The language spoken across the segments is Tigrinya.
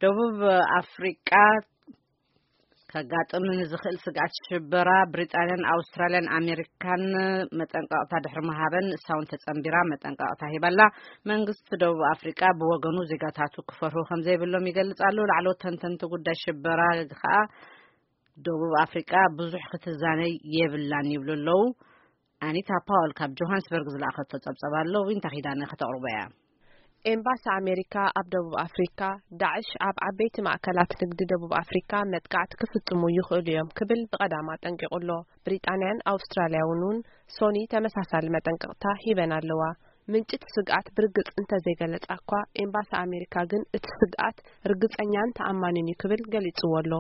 ደቡብ ኣፍሪቃ ከጋጥም ንዝኽእል ስግኣት ሽበራ ብሪጣንያን ኣውስትራልያን ኣሜሪካን መጠንቀቕታ ድሕሪ ምሃበን፣ እሳ እውን ተጸንቢራ መጠንቀቕታ ሂባላ። መንግስቲ ደቡብ ኣፍሪቃ ብወገኑ ዜጋታቱ ክፈርሁ ከም ዘይብሎም ይገልጽ ኣሎ። ላዕለዎት ተንተንቲ ጉዳይ ሽበራ ከኣ ደቡብ ኣፍሪቃ ብዙሕ ክትዛነይ የብላን ይብሉ ኣለዉ። ኣኒታ ፓወል ካብ ጆሃንስበርግ ዝለኣኸቶ ጸብጸብ ኣሎ፣ ዊንታ ኪዳነ ከተቕርቦ እያ። ኤምባሲ ኣሜሪካ ኣብ ደቡብ ኣፍሪካ፣ ዳዕሽ ኣብ ዓበይቲ ማእከላት ንግዲ ደቡብ ኣፍሪካ መጥቃዕቲ ክፍጽሙ ይኽእሉ እዮም ክብል ብቐዳም ኣጠንቂቑ ኣሎ። ብሪጣንያን ኣውስትራልያ እውን እውን ሶኒ ተመሳሳሊ መጠንቀቕታ ሂበን ኣለዋ። ምንጭ እቲ ስግኣት ብርግጽ እንተዘይገለጻ እኳ፣ ኤምባሲ ኣሜሪካ ግን እቲ ስግኣት ርግጸኛን ተኣማንን እዩ ክብል ገሊጽዎ ኣሎ።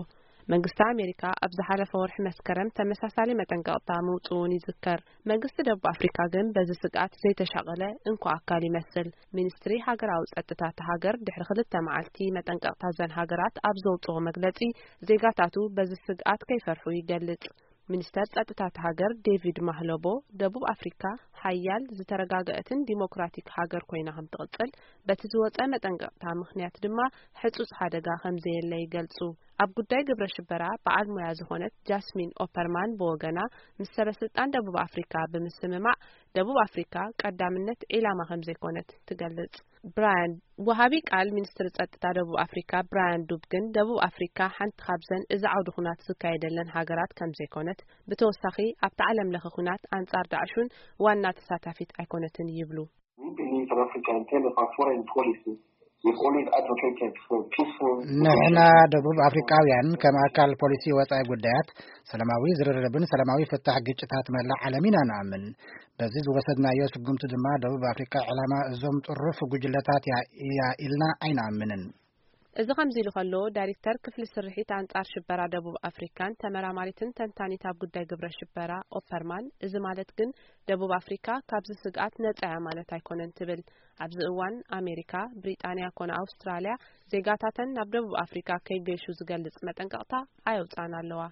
መንግስቲ ኣሜሪካ ኣብ ዝሓለፈ ወርሒ መስከረም ተመሳሳሊ መጠንቀቕታ ምውጽኡን ይዝከር። መንግስቲ ደቡብ ኣፍሪካ ግን በዚ ስግኣት ዘይተሻቐለ እንኮ ኣካል ይመስል። ሚኒስትሪ ሃገራዊ ጸጥታ እታ ሃገር ድሕሪ ክልተ መዓልቲ መጠንቀቕታ እዘን ሃገራት ኣብ ዘውጽኦ መግለጺ፣ ዜጋታቱ በዚ ስግኣት ከይፈርሑ ይገልጽ። ሚኒስተር ጸጥታ እታ ሃገር ዴቪድ ማህሎቦ፣ ደቡብ ኣፍሪካ ሓያል፣ ዝተረጋገአትን ዲሞክራቲክ ሃገር ኮይና ከም ትቕጽል፣ በቲ ዝወጸ መጠንቀቕታ ምኽንያት ድማ ሕጹጽ ሓደጋ ከም ዘየለ ይገልጹ። ኣብ ጉዳይ ግብረ ሽበራ በዓል ሞያ ዝኾነት ጃስሚን ኦፐርማን ብወገና፣ ምስ ሰበ ስልጣን ደቡብ ኣፍሪካ ብምስምማዕ፣ ደቡብ ኣፍሪካ ቀዳምነት ዒላማ ከም ዘይኮነት ትገልጽ። ብራያን፣ ወሃቢ ቃል ሚኒስትሪ ጸጥታ ደቡብ ኣፍሪካ ብራያን ዱብ ግን፣ ደቡብ ኣፍሪካ ሓንቲ ካብዘን እዚ ዓውዲ ኩናት ዝካየደለን ሃገራት ከም ዘይኮነት፣ ብተወሳኺ ኣብቲ ዓለም ለኸ ኩናት ኣንጻር ዳዕሹን ዋና ተሳታፊት ኣይኮነትን ይብሉ። We believe in Africa in terms of our foreign policy. We've always advocated for peaceful ንሕና ደቡብ ኣፍሪካውያን ከም ኣካል ፖሊሲ ወጻኢ ጉዳያት፣ ሰላማዊ ዝርርብን ሰላማዊ ፍታሕ ግጭታት መላእ ዓለም ኢና ንኣምን። በዚ ዝወሰድናዮ ስጉምቲ ድማ፣ ደቡብ ኣፍሪካ ዕላማ እዞም ጥሩፍ ጉጅለታት እያ፣ እያ ኢልና ኣይንኣምንን። እዚ ከምዚ ኢሉ ከሎ፣ ዳይሬክተር ክፍሊ ስርሒት ኣንጻር ሽበራ ደቡብ ኣፍሪካን ተመራማሪትን ተንታኒት ኣብ ጉዳይ ግብረ ሽበራ ኦፐርማን፣ እዚ ማለት ግን ደቡብ ኣፍሪካ ካብዚ ስግኣት ነጻ እያ ማለት ኣይኮነን ትብል። ኣብዚ እዋን ኣሜሪካ፣ ብሪጣንያ ኮነ ኣውስትራልያ ዜጋታተን ናብ ደቡብ ኣፍሪካ ከይገሹ ዝገልጽ መጠንቀቕታ ኣየውጻን ኣለዋ።